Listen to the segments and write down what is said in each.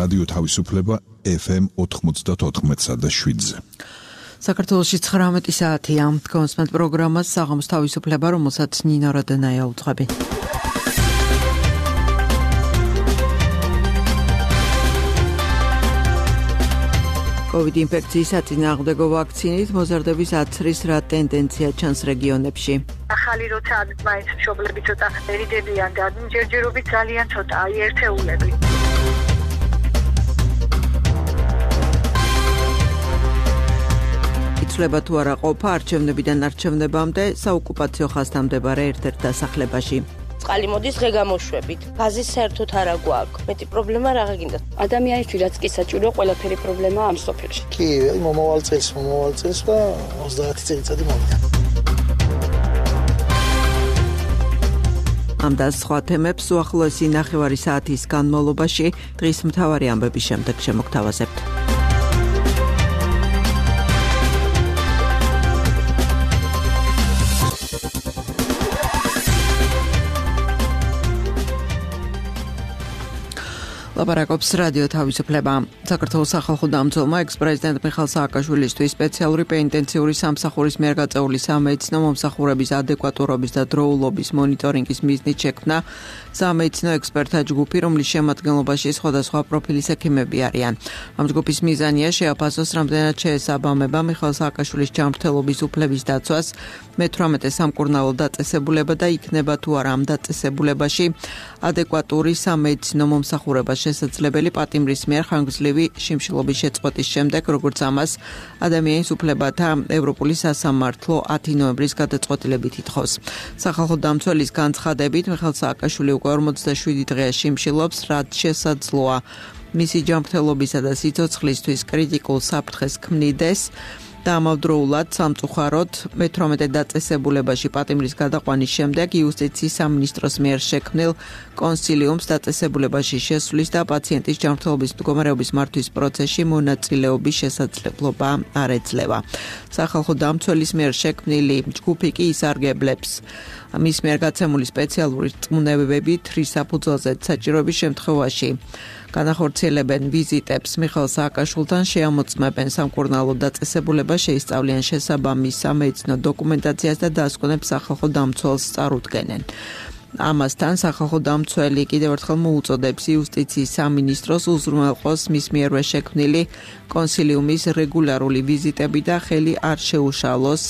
რადიო თავისუფლება FM 94.7-ზე. საქართველოში 19 საათია. კონსმენტ პროგრამას საღამოს თავისუფლება, რომელსაც ნინო როდენაია უძღვები. COVID ინფექციის საწინააღმდეგო ვაქცინით მოზარდების აცრის რა ტენდენცია ჩანს რეგიონებში. ახალი როცა მაინც მშობლები ცოტა ერიდებიან და ჯერჯერობით ძალიან ცოტაა ერთეულები. იცვლება თუ არა ყოფა არჩევნებიდან არჩევნებამდე საოკუპაციო ხაზთან მდებარე ერთ-ერთ დასახლებაში. წყალი მოდის დღე გამოშვებით. გაზის საერთოდ არა გვაქვს. მეტი პრობლემა რა გინდა? ადამიანისთვის რაც კი საჭირო, ყველაფერი პრობლემაა ამ სოფელში. კი, მომავალ წელს და 30 წელიწადი მომია. ამ და სხვა თემებს უახლოესი ნახევარი საათის განმავლობაში დღის მთავარი ამბების შემდეგ შემოგთავაზებთ. ლაპარაკობს რადიო თავისუფლება. საქართველოს სახალხო დამცველმა ექს-პრეზიდენტ მიხეილ სააკაშვილისთვის სპეციალური პენიტენციური სამსახურის მიერ გაწეული სამედიცინო მომსახურების ადეკვატურობის და დროულობის მონიტორინგის მიზნით შექმნა სამედიცინო ექსპერტთა ჯგუფი, რომლის შემადგენლობაში სხვადასხვა პროფილის ექიმები არიან. ამ ჯგუფის მიზანია შეაფასოს, რამდენად შეესაბამება მიხეილ სააკაშვილის ჯანმრთელობის უფლების დაცვას 18 სამკურნალო დაწესებულება და იქნება თუ არა ამ დაწესებულებაში ადეკვატური სამედიცინო მომსახურება შესაძლებელი პატიმრის მიერ ხანგრძლივი შიმშილობის შეწყვეტის შემდეგ, როგორც ამას ადამიანის უფლებათა ევროპული სასამართლო 10 ნოემბრის გადაწყვეტილებით ითხოვს. სახალხო დამცველის განცხადებით, მიხეილ სააკაშვილი უკვე 47 დღეა შიმშილობს, რაც შესაძლოა მისი ჯანმრთელობისა და სიცოცხლისთვის კრიტიკულ საფრთხეს ქმნიდეს. და ამავდროულად სამწუხაროდ 18 დაწესებულებაში პატიმრის გადაყვანის შემდეგ იუსტიციის სამინისტროს მიერ შექმნილ კონსილიუმს დაწესებულებაში შესვლის და პაციენტის ჯანმრთელობის მდგომარეობის მართვის პროცესში მონაწილეობის შესაძლებლობა არ ეძლევა. სახალხო დამცველის მიერ შექმნილი ჯგუფი კი ისარგებლებს მის მიერ გაცემული სპეციალური რწმუნებებით რის საფუძველზე საჭიროების შემთხვევაში განახორციელებენ ვიზიტებს მიხეილ სააკაშვილთან, შეამოწმებენ სამკურნალო დაწესებულებას, შეისწავლიან შესაბამის სამედიცინო დოკუმენტაციას და დაასკვნებს სახალხო დამცველს წარუდგენენ. ამასთან სახალხო დამცველი კიდევ ერთხელ მოუწოდებს იუსტიციის სამინისტროს უზრუნველყოს მის მიერვე შექმნილი კონსილიუმის რეგულარული ვიზიტები და ხელი არ შეუშალოს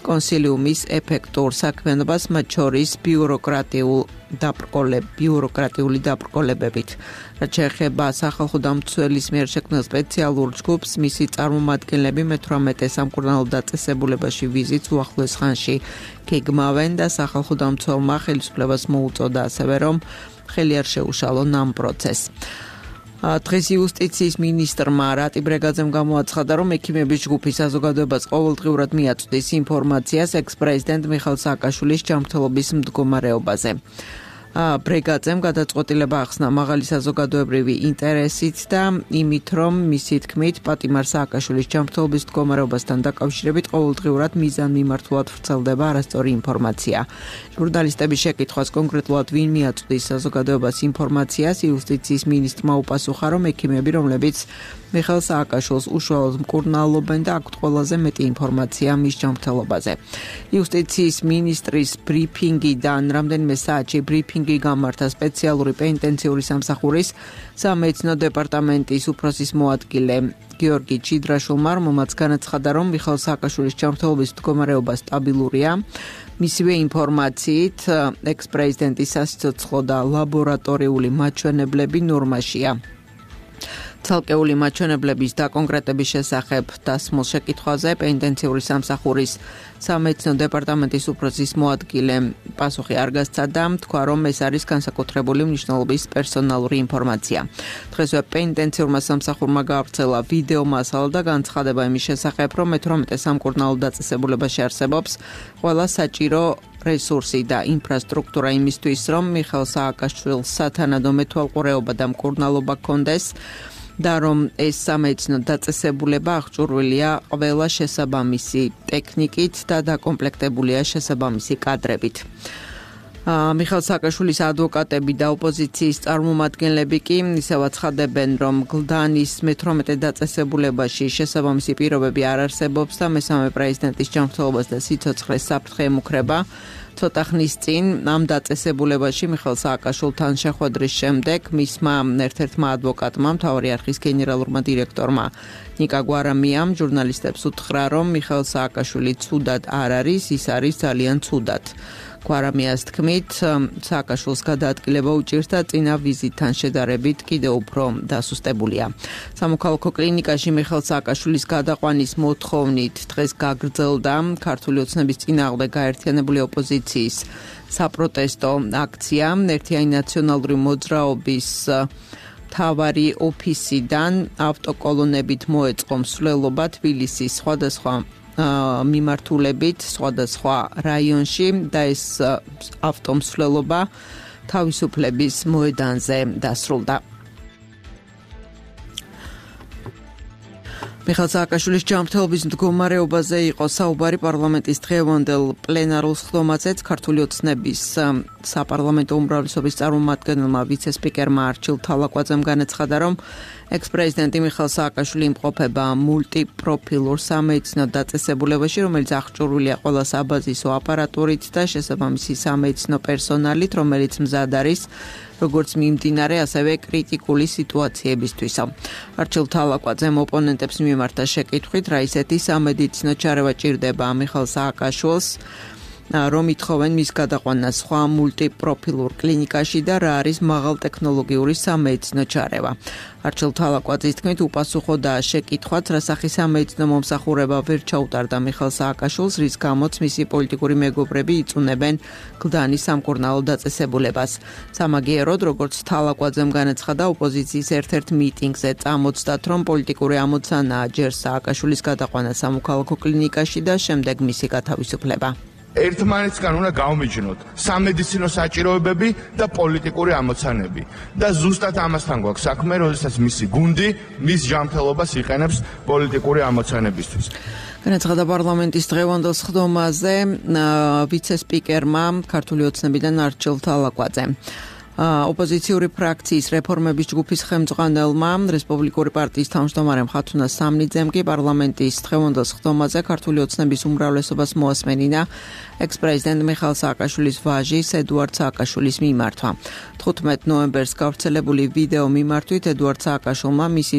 კონსილიუმის ეფექტურ საქმიანობას, მათ შორის ბიუროკრატიული დაბრკოლებებით. რაც შეეხება სახალხო დამცველის მიერ შექმნილ სპეციალურ ჯგუფს, მისი წარმომადგენლები 18 სამკურნალო დაწესებულებაში ვიზიტს უახლოეს ხანში გეგმავენ და სახალხო დამცველმა ხელისუფლებას მოუწოდა ასევე, რომ ხელი არ შეუშალონ ამ პროცესს. დღეს იუსტიციის მინისტრმა რატი ბრეგაძემ გამოაცხადა, რომ ექიმების ჯგუფი საზოგადოებას ყოველდღიურად მიაწვდის ინფორმაციას ექს-პრეზიდენტ მიხეილ სააკაშვილის ჯანმრთელობის მდგომარეობაზე. ბრეგაძემ გადაწყვეტილება ახსნა მაღალი საზოგადოებრივი ინტერესით და იმით, რომ მისი თქმით პატიმარ სააკაშვილის ჯანმრთელობის მდგომარეობასთან დაკავშირებით ყოველდღიურად მიზანმიმართულად ვრცელდება არასწორი ინფორმაცია. ჟურნალისტების შეკითხვას კონკრეტულად ვინ მიაწვდის საზოგადოებას ინფორმაციას, იუსტიციის მინისტრმა უპასუხა, რომ ექიმები, რომლებიც მიხეილ სააკაშვილს უშუალოდ მკურნალობენ და აქვთ ყველაზე მეტი ინფორმაცია მის ჯანმრთელობაზე. იუსტიციის მინისტრის ბრიფინგიდან რამდენიმე საათში ბრიფინგი გამართა სპეციალური პენიტენციური სამსახურის სამედიცინო დეპარტამენტის უფროსის მოადგილე გიორგი ჩიდრაშვილმა, რომელმაც განაცხადა, რომ მიხეილ სააკაშვილის ჯანმრთელობის მდგომარეობა სტაბილურია. მისივე ინფორმაციით, ექს-პრეზიდენტის სასიცოცხლო და ლაბორატორიული მაჩვენებლები ნორმაშია. ცალკეული მაჩვენებლების დაკონკრეტების შესახებ დასმულ შეკითხვაზე პენიტენციური სამსახურის სამედიცინო დეპარტამენტის უფროსის მოადგილემ პასუხი არ გასცადა, თქვა, რომ ეს არის განსაკუთრებული მნიშვნელობის პერსონალური ინფორმაცია. დღესვე პენიტენციურმა სამსახურმა გაავრცელა ვიდეო მასალა და განცხადება იმის შესახებ, რომ 18 სამკურნალო დაწესებულებაში არსებობს ყველა საჭირო რესურსი და ინფრასტრუქტურა იმისთვის, რომ მიხეილ სააკაშვილს სათანადო მეთვალყურეობა და მკურნალობა ჰქონდეს და რომ ეს სამედიცინო დაწესებულება აღჭურვილია ყველა შესაბამისი ტექნიკით და დაკომპლექტებულია შესაბამისი კადრებით. მიხეილ სააკაშვილის ადვოკატები და ოპოზიციის წარმომადგენლები კი ისევ აცხადებენ, რომ გლდანის მე-18 დაწესებულებაში შესაბამისი პირობები არ არსებობს და მესამე პრეზიდენტის ჯანმრთელობას და სიცოცხლეს საფრთხე ემუქრება. ცოტა ხნის წინ ამ დაწესებულებაში მიხეილ სააკაშვილთან შეხვედრის შემდეგ მისმა ერთ-ერთმა ადვოკატმა, მთავარი არხის გენერალურმა დირექტორმა ნიკა გვარამიამ ჟურნალისტებს უთხრა, რომ მიხეილ სააკაშვილი ცუდად არ არის, ის არის ძალიან ცუდად. გვარამიას თქმით, სააკაშვილს გადაადგილება უჭირს და წინა ვიზიტთან შედარებით კიდევ უფრო დასუსტებულია. სამოქალაქო კლინიკაში მიხეილ სააკაშვილის გადაყვანის მოთხოვნით დღეს გაგრძელდა ქართული ოცნების წინააღმდეგ გაერთიანებული ოპოზიციის საპროტესტო აქცია. ერთიანი ნაციონალური მოძრაობის მთავარი ოფისიდან ავტოკოლონებით მოეწყო მსვლელობა თბილისის სხვადასხვა მიმართულებით სხვადასხვა რაიონში და ეს ავტომსვლელობა თავისუფლების მოედანზე დასრულდა. მიხეილ სააკაშვილის ჯანმრთელობის მდგომარეობაზე იყო საუბარი პარლამენტის დღევანდელ პლენარულ სხდომაზეც. ქართული ოცნების საპარლამენტო უმრავლესობის წარმომადგენელმა ვიცე-სპიკერმა არჩილ თალაკვაძემ განაცხადა, რომ ექს-პრეზიდენტი მიხეილ სააკაშვილი იმყოფება მულტიპროფილურ სამედიცინო დაწესებულებაში, რომელიც აღჭურვილია ყველა საბაზისო აპარატურით და შესაბამისი სამედიცინო პერსონალით, რომელიც მზად არის როგორც მიმდინარე, ასევე კრიტიკული სიტუაციებისთვის. არჩილ თალაკვაძემ ოპონენტებს მიმართა შეკითხვით, რა ისეთი სამედიცინო ჩარევა ჭირდება მიხეილ სააკაშვილს, რომ ითხოვენ მის გადაყვანას სხვა მულტიპროფილურ კლინიკაში და რა არის მაღალტექნოლოგიური სამედიცინო ჩარევა. არჩილ თალაკვაძის თქმით, უპასუხოდა შეკითხვაც, რა სახის სამედიცინო მომსახურება ვერ ჩაუტარდა მიხეილ სააკაშვილს, რის გამოც მისი პოლიტიკური მეგობრები იწუნებენ გლდანის სამკურნალო დაწესებულებას. სამაგიეროდ, როგორც თალაკვაძემ განაცხადა, ოპოზიციის ერთ-ერთ მიტინგზე წამოწდათ, რომ პოლიტიკური ამოცანაა ჯერ სააკაშვილის გადაყვანა სამოქალაქო კლინიკაში და შემდეგ მისი გათავისუფლება. ერთმანეთსგან უნდა გავმიჯნოთ სამედიცინო საჭიროებები და პოლიტიკური ამოცანები და ზუსტად ამასთან გვაქვს საქმე, როდესაც მისი გუნდი მის ჯანმრთელობას იყენებს პოლიტიკური ამოცანებისთვის. განაცხადა პარლამენტის დღევანდელ სხდომაზე ვიცე-სპიკერმა ქართული ოცნებიდან არჩილ თალაკვაძემ. ოპოზიციური ფრაქციის რეფორმების ჯგუფის ხელმძღვანელმა რესპუბლიკური პარტიის თავმჯდომარემ ხათუნა სამნიძემ კი პარლამენტის დღევანდელ სხდომაზე ქართული ოცნების უმრავლესობას მოასმენინა ექს-პრეზიდენტ მიხეილ სააკაშვილის ვაჟის ედუარდ სააკაშვილის მიმართვა. 15 ნოემბერს გავრცელებული ვიდეო მიმართვით ედუარდ სააკაშვილმა მისი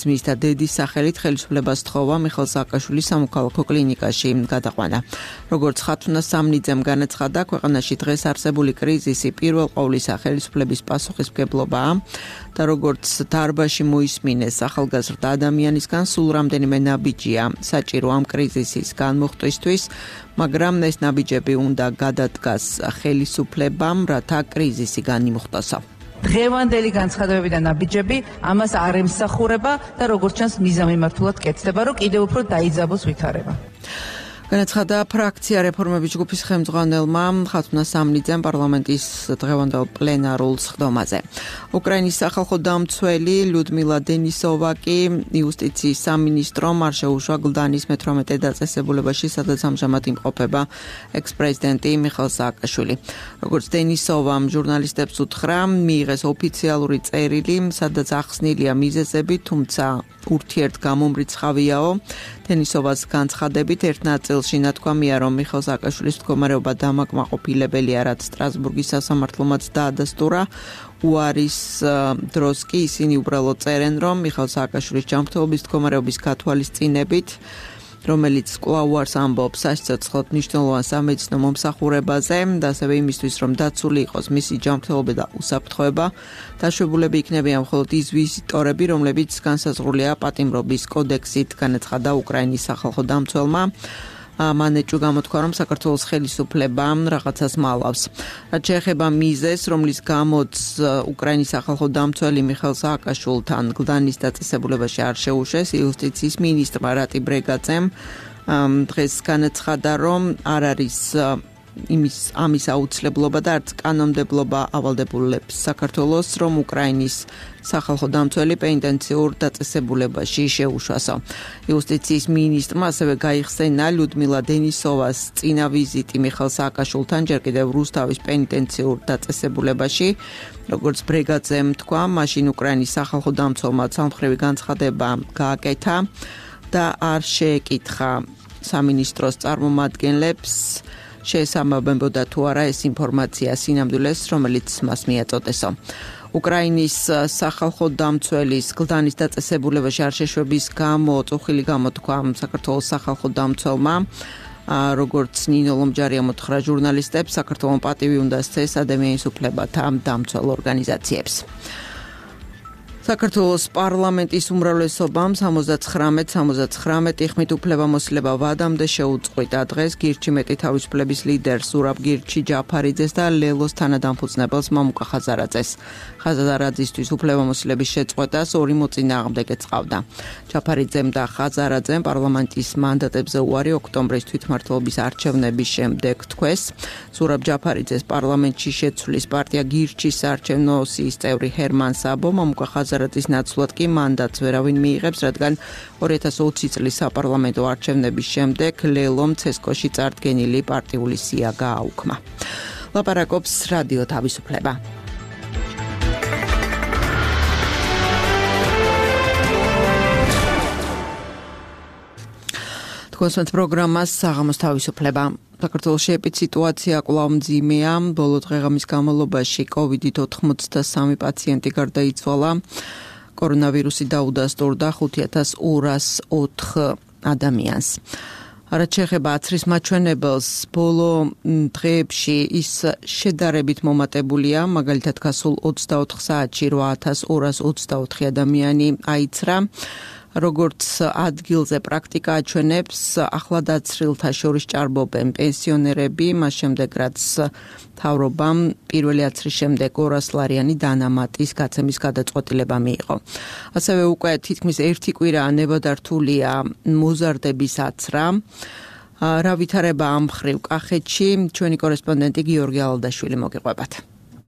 ძმის და დედის სახელით ხელისუფლებას თხოვა მიხეილ სააკაშვილის სამოქალაქო კლინიკაში გადაყვანა. როგორც ხათუნა სამნიძემ განაცხადა, ქვეყანაში დღეს არსებული კრიზისი პირველ ყოვლისა ხელისუფლების პასუხისმგებლობაა და როგორც დარბაში მოისმინეს ახალგაზრდა ადამიანისგან, სულ რამდენიმე ნაბიჯია საჭირო ამ კრიზისის განმოხტვისთვის, მაგრამ ეს ნაბიჯები უნდა გადადგას ხელისუფლებამ, რათა კრიზისი განიმუხტოსო. დღევანდელი განცხადებები და ნაბიჯები ამას არ ემსახურება და როგორც ჩანს მიზანმიმართულად კეთდება, რომ კიდევ უფრო დაიძაბოს ვითარება. განაცხადა ფრაქცია რეფორმების ჯგუფის ხელმძღვანელმა ხათუნა სამნიძემ პარლამენტის დღევანდელ პლენარულ სხდომაზე. უკრაინის სახალხო დამცველი ლიუდმილა დენისოვა კი იუსტიციის სამინისტრომ არ შეუშვა გლდანის მე-18 დაწესებულებაში, სადაც ამჟამად იმყოფება ექს-პრეზიდენტი მიხეილ სააკაშვილი. როგორც დენისოვამ ჟურნალისტებს უთხრა, მიიღეს ოფიციალური წერილი, სადაც ახსნილია მიზეზები, თუმცა ურთიერთგამომრიცხავიაო. დენისოვას განცხადებით ერთ ნაწილში ნათქვამია, რომ მიხეილ სააკაშვილის მდგომარეობა დამაკმაყოფილებელია, რაც სტრასბურგის სასამართლომაც დაადასტურა. უარის დროს კი ისინი უბრალოდ წერენ, რომ მიხეილ სააკაშვილის ჯანმრთელობის მდგომარეობის გათვალისწინებით, რომელიც კვლავ უარს ამბობს სასიცოცხლოდ მნიშვნელოვან სამედიცინო მომსახურებაზე და ასევე იმისთვის, რომ დაცული იყოს მისი ჯანმრთელობა და უსაფრთხოება, დაშვებულები იქნებიან მხოლოდ ის ვიზიტორები, რომლებიც განსაზღვრულია პატიმრობის კოდექსით, განაცხადა უკრაინის სახალხო დამცველმა. მანეჭუ გამოთქვა, რომ საქართველოს ხელისუფლება რაღაცას მალავს. რაც შეეხება მიზეზს, რომლის გამოც უკრაინის სახალხო დამცველი მიხეილ სააკაშვილთან გლდანის დაწესებულებაში არ შეუშვეს, იუსტიციის მინისტრმა რატი ბრეგაძემ დღეს განაცხადა, რომ არ არის ამის აუცილებლობა და არც კანონმდებლობა ავალდებულებს საქართველოს, რომ უკრაინის სახალხო დამცველი პენიტენციურ დაწესებულებაში შეუშვასო. იუსტიციის მინისტრმა ასევე გაიხსენა ლიუდმილა დენისოვას წინა ვიზიტი მიხეილ სააკაშვილთან ჯერ კიდევ რუსთავის პენიტენციურ დაწესებულებაში. როგორც ბრეგაძემ თქვა, მაშინ უკრაინის სახალხო დამცველმა ცალმხრივი განცხადება გააკეთა და არ შეეკითხა სამინისტროს წარმომადგენლებს შეესაბამებოდა თუ არა ეს ინფორმაცია სინამდვილეს, რომელიც მას მიაწოდესო. უკრაინის სახალხო დამცველის გლდანის დაწესებულებაში არ შეშვების გამო წუხილი გამოთქვა საქართველოს სახალხო დამცველმა, როგორც ნინო ლომჯარია მოთხრა ჟურნალისტებს, საქართველოს პატივი უნდა სცეს ადამიანის უფლებათა დამცველ ორგანიზაციებს. საქართველოს პარლამენტის უმრავლესობამ 79 ხმით უფლებამოსილება ვადამდე შეუწყვიტა დღეს გირჩი მეტი თავისუფლების ლიდერს ზურაბ გირჩი ჯაფარიძეს და ლელოს თანადამფუძნებელს მამუკა ხაზარაძეს. ხაზარაძისთვის უფლებამოსილების შეწყვეტას ორი მოწინააღმდეგე წყავდა. ჯაფარიძემ და ხაზარაძემ პარლამენტის მანდატებზე უარი ოქტომბრის თვითმმართველობის არჩევნების შემდეგ თქვეს. ზურაბ ჯაფარიძეს პარლამენტში შეცვლის პარტია გირჩის საარჩევნო სიის წევრი ჰერმან საბო, მამუკა ხაზარაძის ნაცვლად კი მანდატს ვერავინ მიიღებს, რადგან 2020 წლის საპარლამენტო არჩევნების შემდეგ ლელომ ცესკოში წარდგენილი პარტიული სია გააუქმა. ლაპარაკობს რადიო თავისუფლება. კონსერტ პროგრამას საღამოს თავისუფლება. საქართველოში ეპიდსიტუაცია კვლავ მძიმეა. ბოლო დღეღამის განმავლობაში COVID-19 პაციენტი გარდაიცვალა. კორონავირუსი დაუდასტურდა 5204 ადამიანს. რაც შეეხება აცრის მაჩვენებელს, ბოლო დღეებში ის შედარებით მომატებულია, მაგალითად გასულ 24 საათში 8224 ადამიანი აიცრა. როგორც ადგილზე პრაქტიკა აჩვენებს, ახლადაცრილთა შორის ჭარბობენ პენსიონერები, მას შემდეგ რაც მთავრობამ პირველი აცრის შემდეგ 200 ლარიანი დანამატის გაცემის გადაწყვეტილება მიიღო. ასევე უკვე თითქმის 1 კვირაა ნებადართულია მოზარდების აცრა. რა ვითარება ამ მხრივ კახეთში, ჩვენი კორესპონდენტი გიორგი ალადაშვილი მოგიყვებათ.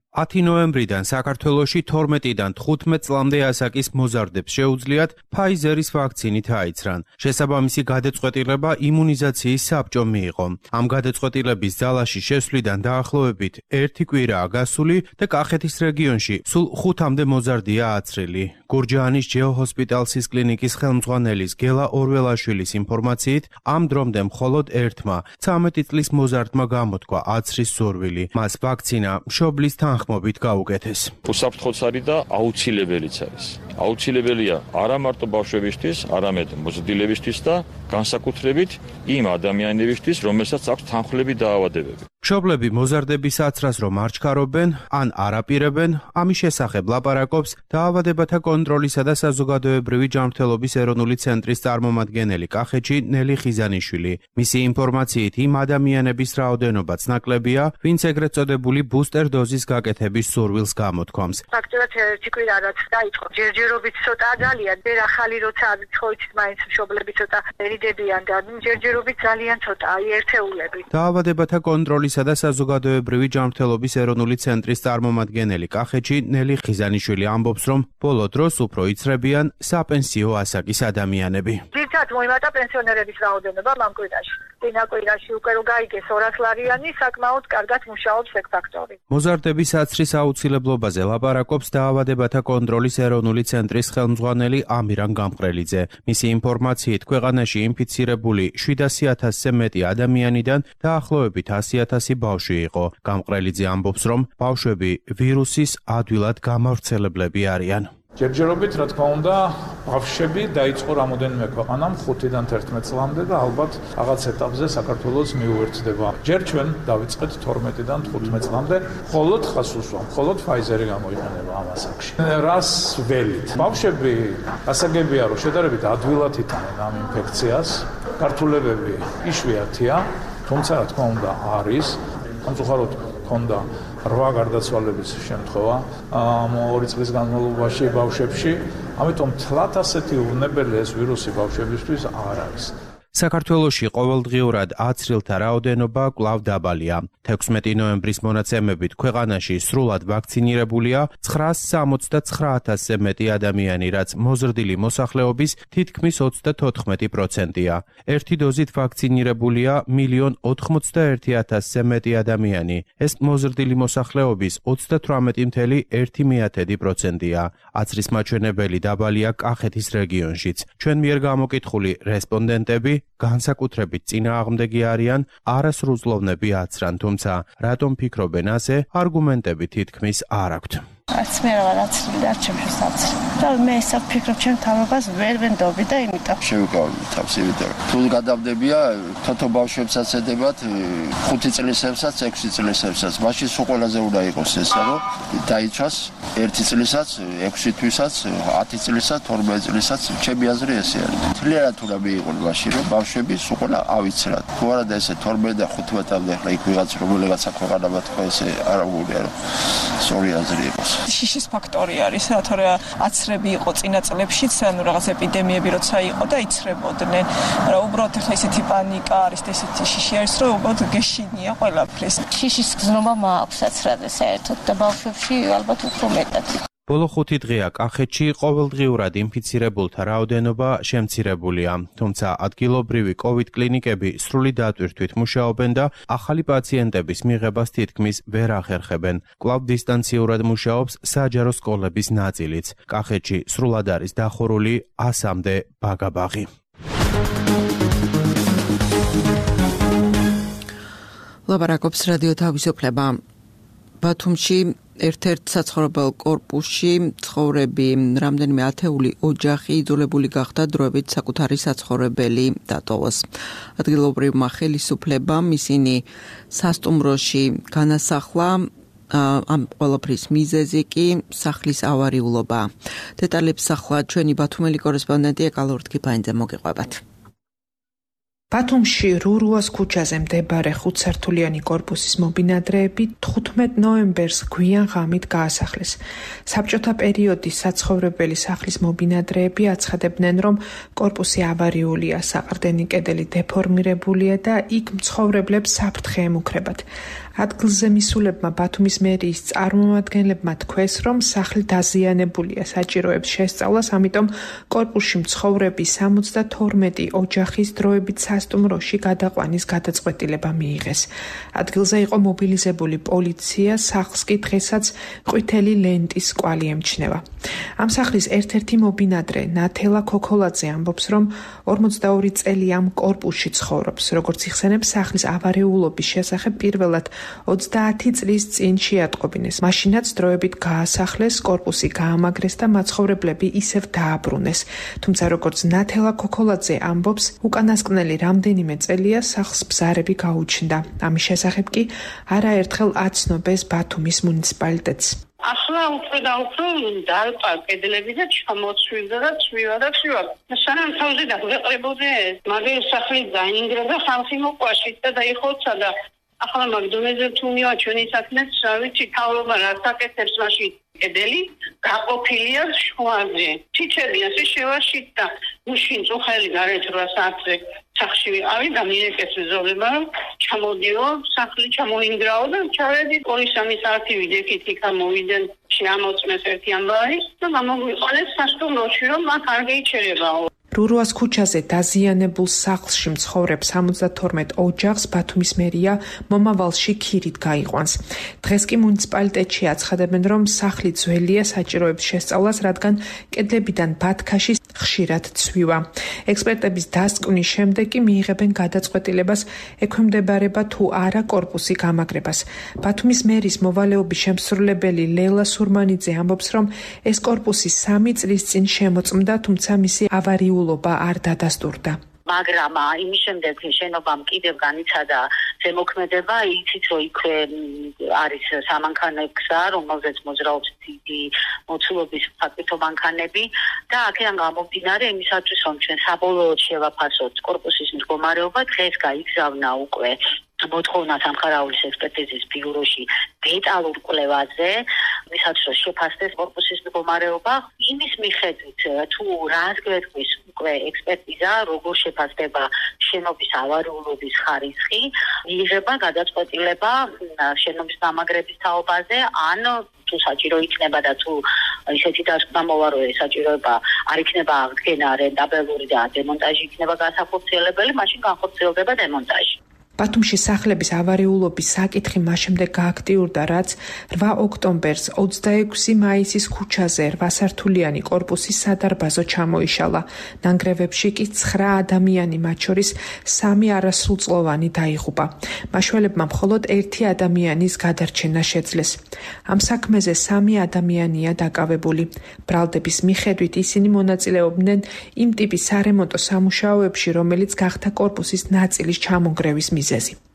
10 ნოემბრიდან საქართველოში 12-დან 15 წლამდე ასაკის მოზარდებს შეუძლიათ ფაიზერის ვაქცინით აიცრან. შესაბამისი გადაწყვეტილება იმუნიზაციის საბჭომ მიიღო. ამ გადაწყვეტილების ძალაში შესვლიდან დაახლოებით 1 კვირაა გასული და კახეთის რეგიონში სულ 5-მდე მოზარდია აცრილი. გურჯაანის ჯეოჰოსპიტალსის კლინიკის ხელმძღვანელის გელა ორველაშვილის ინფორმაციით, ამ დრომდე მხოლოდ ერთმა 13 წლის მოზარდმა გამოთქვა აცრის სურვილი. მას ვაქცინა მშობლის თანხმობით გაუკეთეს. უსაფრთხოც არის და აუცილებელიც არის. აუცილებელია არა მარტო ბავშვებისთვის, არამედ მოზრდილებისთვის და განსაკუთრებით იმ ადამიანებისთვის, რომელსაც აქვს თანხმლები დაავადებები. მშობლები მოზარდების აცრას რომ არ ჩქარობენ, ან არ აპირებენ, ამის შესახებ ლაპარაკობს დაავადებათა კონტროლისა და საზოგადოებრივი ჯანმრთელობის ეროვნული ცენტრის წარმომადგენელი კახეთში ნელი ხიზანიშვილი. მისი ინფორმაციით იმ ადამიანების რაოდენობაც ნაკლებია, ვინც ეგრეთ წოდებული ბუსტერ დოზის გაკეთების სურვილს გამოთქვამს. ფაქტობრივად 1 კვირა რაც დაიწყო, ჯერჯერობით ცოტა ძალიან, ვერ ახალი როცა ცხოვრით მაინც მშობლები ცოტა ერიდებიან და ჯერჯერობით ძალიან ცოტა, ერთეულები. დაავადებათა კონტროლისა და საზოგადოებრივი ჯანმრთელობის ეროვნული ცენტრის წარმომადგენელი კახეთში ნელი ხიზანიშვილი ამბობს, რომ ბოლო დროს უფრო იცრებიან საპენსიო ასაკის ადამიანები. ძირითადად მოიმატა პენსიონერების რაოდენობა ამ კვირაში. წინა კვირაში უკვე რო გაიგეს 200 ლარიანი, საკმაოდ კარგად მუშაობს ეგ ფაქტორი. მოზარდების აცრის აუცილებლობაზე ლაპარაკობს დაავადებათა კონტროლის ეროვნული ცენტრის ხელმძღვანელი ამირან გამყრელიძე. მისი ინფორმაციით, ქვეყანაში ინფიცირებული 700,000-ზე მეტი ადამიანიდან დაახლოებით 100,000 ბავშვი იყო. გამყრელიძე ამბობს, რომ ბავშვები ვირუსის ადვილად გამავრცელებლები არიან. ჯერჯერობით, რა თქმა უნდა, ბავშვები დაიწყო რამოდენიმე ქვეყანამ 5-დან 11 წლამდე და ალბათ რაღაც ეტაპზე საქართველოს მიუერთდება. ჯერ ჩვენ დავიწყეთ 12-დან 15 წლამდე, მხოლოდ ხასუსვა, მხოლოდ ფაიზერი გამოიყენება ამ ასაკში. რას ველით? ბავშვები ასაგებია, რომ შედარებით ადვილად იტანენ ამ ინფექციას. გართულებები იშვიათია, თუმცა რა თქმა უნდა არის სამწუხაროდ ქონდა 8 გარდაცვალების შემთხვევა ამ 2 წლის განმავლობაში ბავშვებში, ამიტომ თლათ ასეთი უვნებელი ეს ვირუსი ბავშვებისთვის არ არის. საქართველოში ყოველდღიურად აცრილთა რაოდენობა კვლავ დაბალია. 16 ნოემბრის მონაცემებით ქვეყანაში სრულად ვაქცინირებულია 969,000-ზე მეტი ადამიანი, რაც მოზრდილი მოსახლეობის თითქმის 34%-ია. ერთი დოზით ვაქცინირებულია 1,91,000-ზე მეტი ადამიანი. ეს მოზრდილი მოსახლეობის 38,1%-ია. აცრის მაჩვენებელი დაბალია კახეთის რეგიონშიც. ჩვენ მიერ გამოკითხული რესპონდენტები განსაკუთრებით წინააღმდეგი არიან არასრულწლოვნები აცრან, თუმცა რატომ ფიქრობენ ასე, არგუმენტები თითქმის არ აქვთ. არც მე რა აცრი და ჩემს აცრი. და მე ესა ფიქრობ ჩემ თავებას ვერ ვენდობი და იმიტომ შევიკავებ თავს, იმიტომ თუ გადავდებია თოთო ბავშვებსაც ედებათ 5 წლისებსაც, 6 წლისებსაც. მაშინ სულ ყველაზე უნდა იყოს ესა, რომ დაიცვას 1 წლისაც, 6 თვისაც, 10 წლისაც, 12 წლისაც, ჩემი აზრი ესე არის. თლიანად უნდა მიიღონ მაშინ, რომ ბავშვები სულ ყველა ავიცრათ. თუ არა და ესე 12 და 15-მდე ხლა იქ ვიღაც რომელიღაცა ქვეყანებად ხო ესე არ აღულია, რომ სწორი აზრი იყოს. შიშის ფაქტორი არის, რა თორე აცრები იყო წინა წლებშიც, ანუ რაღაც ეპიდემიები როცა იყო და იცრებოდნენ. რა უბრალოდ ახლა ისეთი პანიკა არის და ესეთი შიში არის, რომ უბრალოდ გეშინია ყველაფრის. შიშის გზნობა მაქვს აცრაზე საერთოდ და ბავშვებში ალბათ უფრო მეტად. ბოლო 5 დღეა კახეთში ყოველდღიურად ინფიცირებულთა რაოდენობა შემცირებულია, თუმცა ადგილობრივი COVID კლინიკები სრული დატვირთვით მუშაობენ და ახალი პაციენტების მიღებას თითქმის ვერ ახერხებენ. კვლავ დისტანციურად მუშაობს საჯარო სკოლების ნაწილიც. კახეთში სრულად არის დახურული 100-მდე ბაგაბაღი. ლაპარაკობს რადიო თავისუფლება. ბათუმში ერთ-ერთ საცხოვრებელ კორპუსში ცხოვრები რამდენიმე ათეული ოჯახი იძულებული გახდა დროებით საკუთარი საცხოვრებელი დატოვოს. ადგილობრივმა ხელისუფლებამ ისინი სასტუმროში განასახლა, ამ ყველაფრის მიზეზი კი სახლის ავარიულობა. დეტალებს ახლა ჩვენი ბათუმელი კორესპონდენტი ეკალ ორთქიფანიძე მოგიყვებათ. ბათუმში რურუას ქუჩაზე მდებარე 5-სართულიანი კორპუსის მობინადრეები 15 ნოემბერს გვიან ღამით გაასახლეს. საბჭოთა პერიოდის საცხოვრებელი სახლის მობინადრეები აცხადებდნენ, რომ კორპუსი ავარიულია, საყრდენი კედელი დეფორმირებულია და იქ მცხოვრებლებს საფრთხე ემუქრებათ. ადგილზე მისულებმა ბათუმის მერიის წარმომადგენლებმა თქვეს, რომ სახლი დაზიანებულია საჭიროებს შესწავლას, ამიტომ კორპუსში მცხოვრები 72 ოჯახის დროებით სასტუმროში გადაყვანის გადაწყვეტილება მიიღეს. ადგილზე იყო მობილიზებული პოლიცია, სახლს კი დღესაც ყვითელი ლენტის კვალი ემჩნევა. ამ სახლის ერთ-ერთი მობინადრე ნათელა ქოქოლაძე ამბობს, რომ 42 წელი ამ კორპუსში ცხოვრობს. როგორც იხსენებს, სახლის ავარიულობის შესახებ პირველად 30 წლის წინ შეატყობინეს. მაშინაც დროებით გაასახლეს, კორპუსი გაამაგრეს და მაცხოვრებლები ისევ დააბრუნეს. თუმცა როგორც ნათელა ქოქოლაძე ამბობს, უკანასკნელი რამდენიმე წელია სახლს ბზარები გაუჩნდა. ამის შესახებ კი არაერთხელ აცნობეს ბათუმის მუნიციპალიტეტს. ახლა უფრო და უფრო დალყა კედლები და ჩამოცვიდა და ცვივა. სანამ თავზე დაგვეყრებოდე, მაგერ სახლი დაინგრა და ხალხი მოყვაშით და დაიხოცა და ახლა მაგდონეზე თუნია ჩვენი საქმეც, რა ვიცი, თავრობა რაც აკეთებს მაშინ კედელი გაყოფილია შუაზე. ჩიჩები ასე შევაშით და უშინ წუხელი გარეთ 8 საათზე სახში ვიყავი და მიეკეთე ზოლება, რომ ჩამოდიო, სახლი ჩამოინგრაო და ჩავედი 2-3 საათი ვიდექით იქა მოვიდნენ, შეამოწმეს ერთი ამბავი და გამოგვიყოლეს სასტუმროში, რომ აქ არ გეიჩერებაო. რურუას ქუჩაზე დაზიანებულ სახლში მცხოვრებ 72 ოჯახს ბათუმის მერია მომავალში ქირით გაიყვანს. დღეს კი მუნიციპალიტეტში აცხადებენ, რომ სახლი ძველია, საჭიროებს შესწავლას, რადგან კედლებიდან ბათქაში ხშირად ცვივა. ექსპერტების დასკვნის შემდეგ კი მიიღებენ გადაწყვეტილებას, ექვემდებარება თუ არა კორპუსი გამაგრებას. ბათუმის მერის მოვალეობის შემსრულებელი ლელა სურმანიძე ამბობს, რომ ეს კორპუსი 3 წლის წინ შემოწმდა, თუმცა მისი ავარიულობა არ დადასტურდა. მაგრამ იმის შემდეგ შენობამ კიდევ განიცადა ზემოქმედება, იცით რომ იქ არის სამანქანო გზა, რომელზეც მოძრაობს დიდი მოცულობის ფაქტო მანქანები და აქედან გამომდინარე იმისათვის რომ ჩვენ საბოლოოდ შევაფასოთ კორპუსის მდგომარეობა, დღეს გაიგზავნა უკვე მოთხოვნა სამხარაულის ექსპერტიზის ბიუროში დეტალურ კვლევაზე, ვისაც შეფასდეს კორპუსის მდგომარეობა, იმის მიხედვით თუ რას გვეთქვის უკვე ექსპერტიზა, როგორ შეფასდება შენობის ავარიულობის ხარისხი, იღება გადაწყვეტილება შენობის დამაგრების თაობაზე, ან თუ საჭირო იქნება და თუ ისეთი დასკვნა მოვა, რომ საჭიროება არ იქნება აღდგენა რენტაბელური და დემონტაჟი იქნება განსახორციელებელი, მაშინ განხორციელდება დემონტაჟი. ბათუმში სახლების ავარიულობის საკითხი მასშემდეგ გააქტიურდა, რაც 8 ოქტომბერს 26 მაისის ქუჩაზე 8-სართულიანი კორპუსის სადარბაზო ჩამოიშალა. ნანგრევებში კი 9 ადამიანი, მათ შორის 3 არასრულწლოვანი დაიღუპა. მაშველებმა მხოლოდ 1 ადამიანის გადარჩენა შეძლეს. ამ საქმეზე 3 ადამიანია დაკავებული. ბრალდების მიხედვით ისინი მონაწილეობდნენ იმ ტიპის სარემონტო სამუშაოებში, რომელიც გახდა კორპუსის ნაწილის ჩამონგრევის მიზეზი.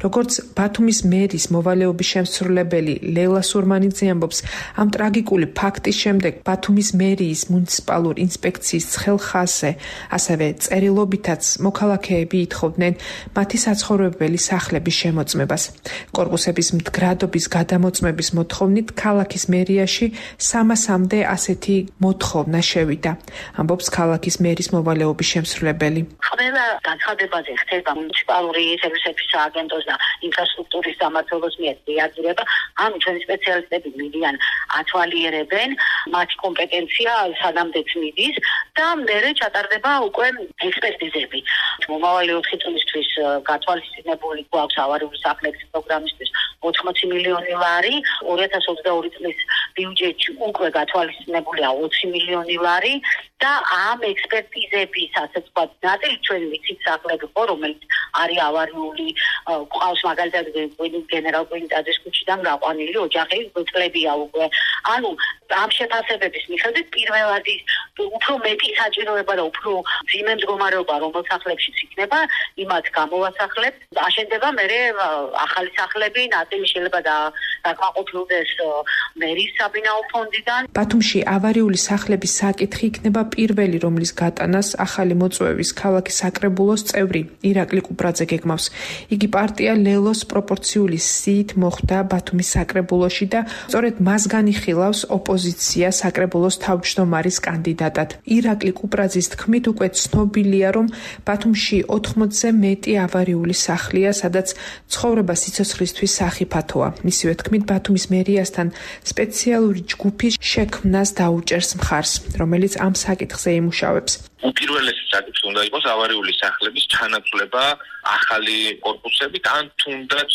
როგორც ბათუმის მერის მოვალეობის შემსრულებელი ლეილა სურმანიძე ამბობს, ამ ტრაგიკული ფაქტის შემდეგ ბათუმის მერიის მუნიციპალურ ინსპექციის ცხელ-ხაზზე, ასევე წერილობითაც მოქალაქეები ითხოვდნენ მათი საცხოვრებელი სახლების შემოწმებას. კორპუსების მდგრადობის გადამოწმების მოთხოვნით ქალაქის მერიაში 300-მდე ასეთი მოთხოვნა შევიდა, ამბობს ქალაქის მერის მოვალეობის შემსრულებელი. ყველა განცხადებაზე ხდება მუნიციპალური სერვისების სააგენტოს და ინფრასტრუქტურის სამმართველოს მიერ რეაგირება, ან ჩვენი სპეციალისტები მიდიან, ათვალიერებენ მათი კომპეტენცია სანამდეც მიდის და მერე ჩატარდება უკვე ექსპერტიზები. მომავალი 4 წლისთვის გათვალისწინებული გვაქვს ავარიული სახლების პროგრამისთვის 80 მილიონი ლარი, 2022 წლის ბიუჯეტში უკვე გათვალისწინებულია 20 მილიონი ლარი და ამ ექსპერტიზების ასე ვთქვათ ნაწილი ჩვენ ვიცით სახლები ხო, რომელიც არის ავარიული, ყავს მაგალითად გენერალ კვინტაძის ქუჩიდან გაყვანილი ოჯახი წლებია უკვე. ანუ ამ შეფასებების მიხედვით პირველად უფრო მეტი საჭიროება და უფრო ძიმე მდგომარეობა რომელ სახლებშიც იქნება, იმათ გამოვასახლებს, აშენდება მერე ახალი სახლები, ნაწილი შეიძლება დაკმაყოფილდეს მერის საბინაო ფონდიდან. ბათუმში ავარიული სახლების საკითხი იქნება პირველი, რომლის გატანას ახალი მოწვევის ქალაქის საკრებულოს წევრი ირაკლი კუპრაძე გეგმავს. იგი პარტია ლელოს პროპორციული სიით მოხვდა ბათუმის საკრებულოში და სწორედ მას განიხილავს ოპოზიცია საკრებულოს თავმჯდომარის კანდიდატად. ირაკლი კუპრაძის თქმით, უკვე ცნობილია, რომ ბათუმში 80-ზე მეტი ავარიული სახლია, სადაც ცხოვრება სიცოცხლისთვის სახიფათოა. მისივე თქმით, ბათუმის მერიასთან სპეციალური ჯგუფი შექმნას დაუჭერს მხარს, რომელიც ამ საკითხზე იმუშავებს. უპირველესი საკითხი უნდა იყოს ავარიული სახლების ჩანაცვლება ახალი კორპუსებით, ან თუნდაც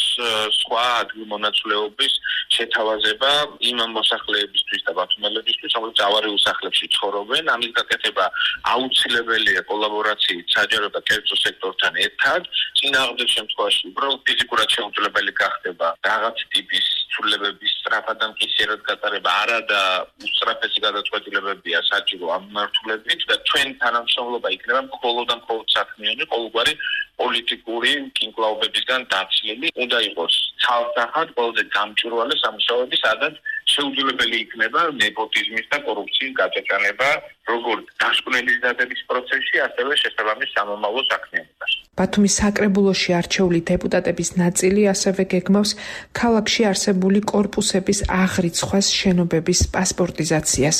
სხვა ადგილმონაცვლეობის შეთავაზება იმ მოსახლეებისთვის და ბათუმელებისთვის, რომელიც ავარიულ სახლებში ცხოვრობენ. ამის გაკეთება აუცილებელია კოლაბორაციით საჯარო და კერძო სექტორთან ერთად. წინააღმდეგ შემთხვევაში უბრალოდ ფიზიკურად შეუძლებელი გახდება რაღაც ტიპის ცვლილებების სწრაფად და მკისიერად გატარება, არა და უსწრაფესი გადაწყვეტილებებია საჭირო ამ მიმართულებით და ჩვენ თანამშრომლობა იქნება მხოლოდ და მხოლოდ საქმიანი, ყოველგვარი პოლიტიკური კინკლაობებისგან დაცლილი. უნდა იყოს ცალსახად ყველაზე გამჭვირვალე სამუშაოები, სადაც შეუძლებელი იქნება ნეპოტიზმის და კორუფციის გაჭაჭანება, როგორც დასკვნელის დადების პროცესში, ასევე შესაბამის სამომავლო საქმიანობაში. ბათუმის საკრებულოში არჩეული დეპუტატების ნაწილი ასევე გეგმავს ქალაქში არსებული კორპუსების აღრიცხვას, შენობების პასპორტიზაციას.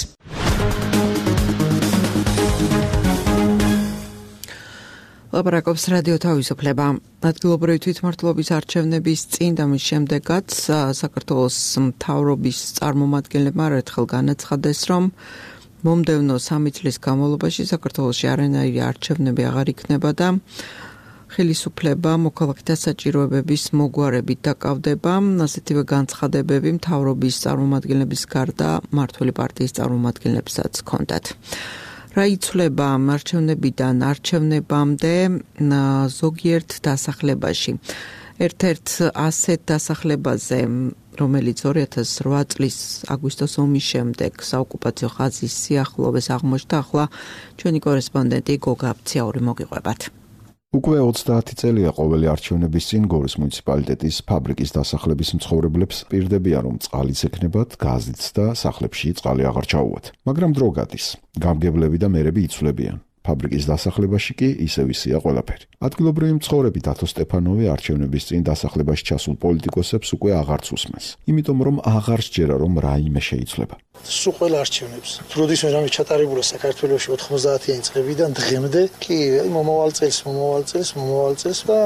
ლაპარაკობს რადიო თავისუფლება. ადგილობრივი თვითმმართველობის არჩევნების წინ და მის შემდეგაც საქართველოს მთავრობის წარმომადგენლებმა ერთხელ განაცხადეს, რომ მომდევნო 3 წლის განმავლობაში საქართველოში არანაირი არჩევნები აღარ იქნება და ხელისუფლება მოქალაქეთა საჭიროებების მოგვარებით დაკავდება. ასეთივე განცხადებები მთავრობის წარმომადგენლების გარდა მმართველი პარტიის წარმომადგენლებსაც ჰქონდათ. რა იცვლება არჩევნებიდან არჩევნებამდე ზოგიერთ დასახლებაში. ერთ-ერთ ასეთ დასახლებაზე, რომელიც 2008 წლის აგვისტოს ომის შემდეგ საოკუპაციო ხაზის სიახლოვეს აღმოჩნდა, ახლა ჩვენი კორესპონდენტი გოგა აფციაური მოგიყვებათ. უკვე 30 წელია ყოველი არჩევნების წინ გორის მუნიციპალიტეტის ფაბრიკის დასახლების მცხოვრებლებს პირდებიან, რომ წყალიც ექნებათ, გაზიც და სახლებში წყალი აღარ ჩაუვათ. მაგრამ დრო გადის. გამგებლები და მერები იცვლებიან. ფაბრიკის დასახლებაში კი ისევ ისეა ყველაფერი. ადგილობრივი მცხოვრები დათო სტეფანოვი არჩევნების წინ დასახლებაში ჩასულ პოლიტიკოსებს უკვე აღარც უსმენს, იმიტომ რომ აღარ სჯერა რომ რაიმე შეიცვლება. სულ ყველა არჩევნებს როდისმე რამე ჩატარებულა საქართველოში 90-იანი წლებიდან დღემდე კი მომავალ წელს და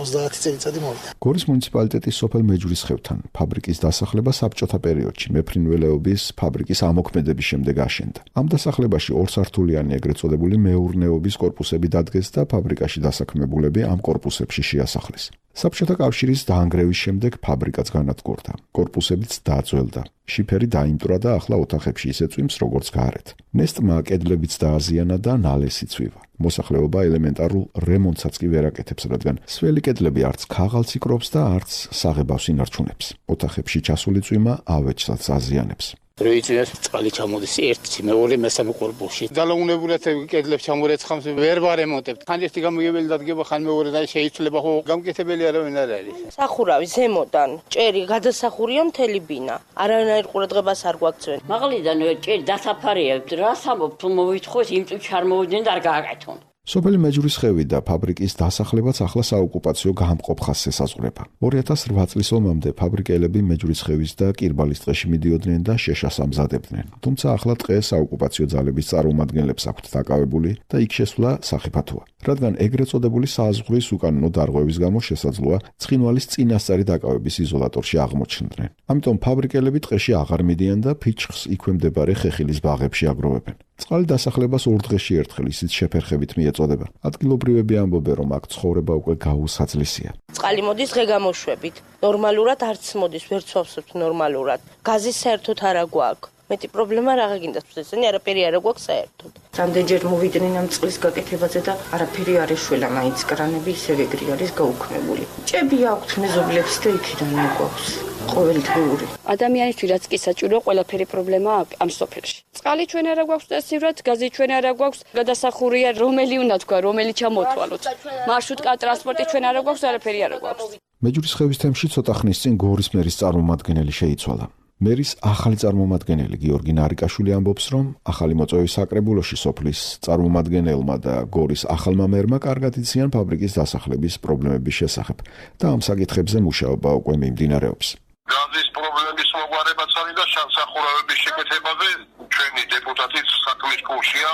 30 წელიწადი მოვიდა. გორის მუნიციპალიტეტის სოფელ მეჯვრისხევთან ფაბრიკის დასახლება საბჭოთა პერიოდში მეფრინველეობის ფაბრიკის ამოქმედების შემდეგ აშენდა. ამ დასახლებაში ორსართულიანი ეგრეთ წოდებული მეურნეობის კორპუსები დადგეს და ფაბრიკაში დასაქმებულები ამ კორპუსებში შეასახლეს. საბჭოთა კავშირის დაანგრევის შემდეგ ფაბრიკაც განადგურდა. კორპუსებიც დაძველდა. შიფერი დაიმტრა და ახლა ოთახებში ისე წვიმს როგორც გარეთ. ნესტმა კედლებიც დააზიანა და ნალესი წვივა. მოსახლეობა ელემენტარულ რემონტსაც კი ვერ აკეთებს, რადგან სველი კედლები არც ქაღალდს იკრობს და არც საღებავს ინარჩუნებს. ოთახებში ჩასული წვიმა ავეჯსაც აზიანებს. როიცინას წყალი ჩამოდის ერთი, მეორე, მესამე კორპუსში. დალაუნებულად კედლებს ჩამორეცხამს ვერ ვარემონტებთ. ხან ერთი გამოგებელი დადგება, ხან მეორე და შეიცვლება, ხო გამკეთებელი არავინ არ არის. სახურავი ზემოდან, ჭერი გადასახურია მთელი ბინა. არანაირ ყურადღებას არ გვაქცევენ. მაღლიდან ჭერი დასაფარიებთ, რა სამობთ, მოვითხოვეთ, იმ წუთში არ მოვიდნენ და არ გააკეთონ. სოფელი მეჯვრისხევი და ფაბრიკის დასახლებაც ახლა საოკუპაციო გამყოფ ხაზს ესაზღვრება. 2008 წლის ომამდე ფაბრიკელები მეჯვრისხევის და კირბალის ტყეში მიდიოდნენ და შეშას ამზადებდნენ. თუმცა ახლა ტყე საოკუპაციო ძალების წარმომადგენლებს აქვთ დაკავებული და იქ შესვლა სახიფათოა. რადგან ეგრეთ წოდებული საზღვრის უკანონო დარღვევის გამო შესაძლოა ცხინვალის წინასწარი დაკავების იზოლატორში აღმოჩნდნენ. ამიტომ ფაბრიკელები ტყეში აღარ მიდიან და ფიჩხს იქვე მდებარე ხეხილის ბაღებში აგროვებენ. წყალი დასახლებას 2 დღეში ერთხელ ისიც შეფერხებით მიეწოდება. ადგილობრივები ამბობენ, რომ აქ ცხოვრება უკვე გაუსაძლისია. წყალი მოდის ღეგამოშვებით. ნორმალურად არც მოდის, ვერ ცვავსებთ ნორმალურად. გაზი საერთოდ არ აგვაქვს. მეტი პრობლემა რა გინდა თვითონ არაფერი არ აგვაქვს საერთოდ. რამდენჯერ მოვიდნენ ამ წყლის გაკეთებაზე და არაფერი არ ეშველა, მაინც კრანები ისევ ეგრე არის გაუქმებული. ჭები აქვთ მეზობლებს და იქიდან აგვაქვს. ყოველდღიური. ადამიანისთვის რაც კი საჭირო, ყველაფერი პრობლემა ამ სოფელში. წყალი ჩვენ არ აგვაქვს და სივრად, გაზი ჩვენ არ აგვაქვს, გადასახურია რომელი უნდა თქვა, რომელი ჩამოთვალოთ. მარშრუტკა ტრანსპორტი ჩვენ არ აგვაქვს, არაფერი არ აგვაქვს. მეჯვრისხევის თემში ცოტა ხნის წინ გორის მერის წარმომადგენელი შეიცვალა. მერის ახალი წარმომადგენელი გიორგი ნარიკაშვილი ამბობს, რომ ახალი მოწვევის საკრებულოში სოფლის წარმომადგენელმა და გორის ახალმა მერმა კარგად იციან ფაბრიკის დასახლების პრობლემების შესახებ და ამ საკითხებზე მუშაობა უკვე მიმდინარეობს. გაზის პრობლემის მოგვარებაც არის და სახურავების შეკეთებაზე ჩვენი დეპუტატის საქმის კურსია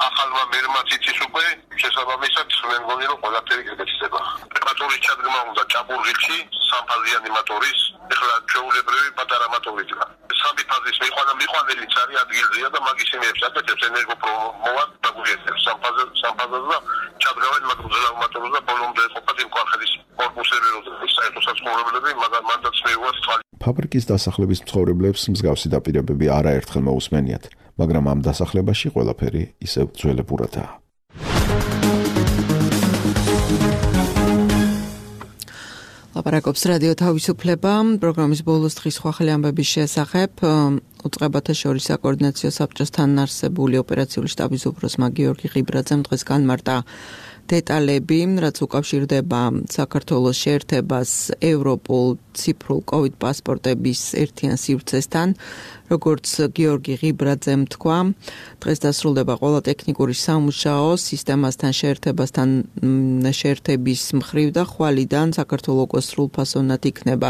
ახალმა მერმაც იცის უკვე შესაბამისად მე მგონი რომ ყველაფერი გეკეთება. მოტორის ჩადგმა უნდა ჭაბურღილში სამფაზიანი მოტორის ეხლა ჩვეულებრივი პატარა მოტორია. სამი ფაზის მიყვანელიც არის ადგილზეა და მაგის იმებს აკეთებს ენერგოპრომოვად დაგვიერთებს სამფაზას და ჩადგავენ მაგზელავ მოტორს და ბოლომდე ყოფათ იმ კვალხელის კორპუსები როდესაც საერთო საცხოვრებლები მანდაც მეუვას წყალი. ფაბრიკის დასახლების მცხოვრებლებს მსგავსი დაპირებები არაერთხელ მოусმენიათ, მაგრამ ამ დასახლებაში ყველაფერი ისევ ძველებურადაა. ლაპარაკობს რადიო თავისუფლება, პროგრამის ბოლოს დღის ხალხი ამბების შესახებ უწყებათა შორის საკოორდინაციო საბჭოს თანაარსებული ოპერაციული შტაბის უფროსმა გიორგი ღიბრაძემ დღეს განმარტა დეტალები, რაც უკავშირდება საქართველოს შეერთებას ევროპულ ციფრულ COVID პასპორტების ერთიან სივრცესთან. როგორც გიორგი ღიბრაძემ თქვა, დღეს დასრულდება ყველა ტექნიკური სამუშაო სისტემასთან შეერთების მხრივ და ხვალიდან საქართველოს სრულფასოვნად იქნება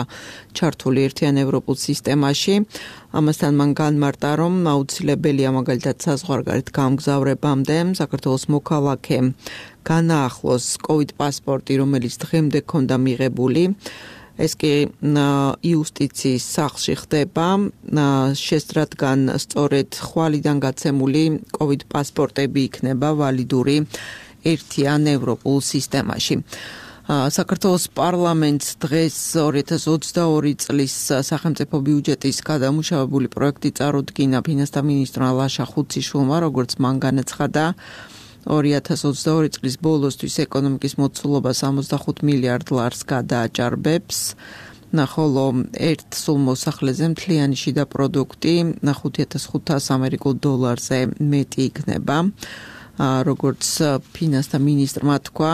ჩართული ერთიან ევროპულ სისტემაში. ამასთან მან განმარტა, რომ აუცილებელია მაგალითად საზღვარგარეთ გამგზავრებამდე საქართველოს მოქალაქე განაახლოს COVID პასპორტი, რომელიც დღემდე ჰქონდა მიღებული. ეს კი იუსტიციის სახლში ხდება, შესდრადგან სწორედ ხვალიდან გაცემული COVID პასპორტები იქნება ვალიდური ერთიან ევროპულ სისტემაში. საქართველოს პარლამენტს დღეს 2022 წლის სახელმწიფო ბიუჯეტის გადამუშავებული პროექტი წარუდგინა ფინანსთა მინისტრმა ლაშა ხუციშვილმა, როგორც მან განაცხადა, 2022 წლის ბოლოსთვის ეკონომიკის მოცულობა 65 მილიარდ ლარს გადააჭარბებს, ხოლო ერთ სულ მოსახლეზე მთლიანი შიდა პროდუქტი $5,500 ამერიკულ დოლარზე მეტი იქნება. როგორც ფინანსთა მინისტრმა თქვა,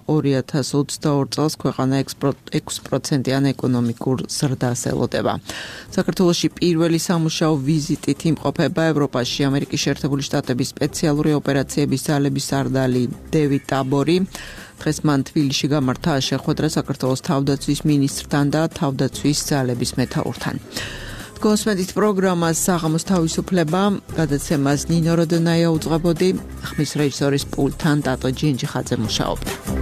2022 წელს ქვეყანა 6%-იან ეკონომიკურ ზრდას ელოდება. საქართველოში პირველი სამუშაო ვიზიტით იმყოფება ევროპაში ამერიკის შეერთებული შტატების სპეციალური ოპერაციების ძალების სარდალი დევიდ ტაბორი. დღეს მან თბილისში გამართა შეხვედრა საქართველოს თავდაცვის მინისტრთან და თავდაცვის ძალების მეთაურთან. კონსმედით პროგრამას საღამოს თავისუფლება, გადაცემას ნინო როდონაია უძღვებოდი, ხმის რეჟისორის პულტთან ტატო ჯინჯიხაძე მუშაობდა.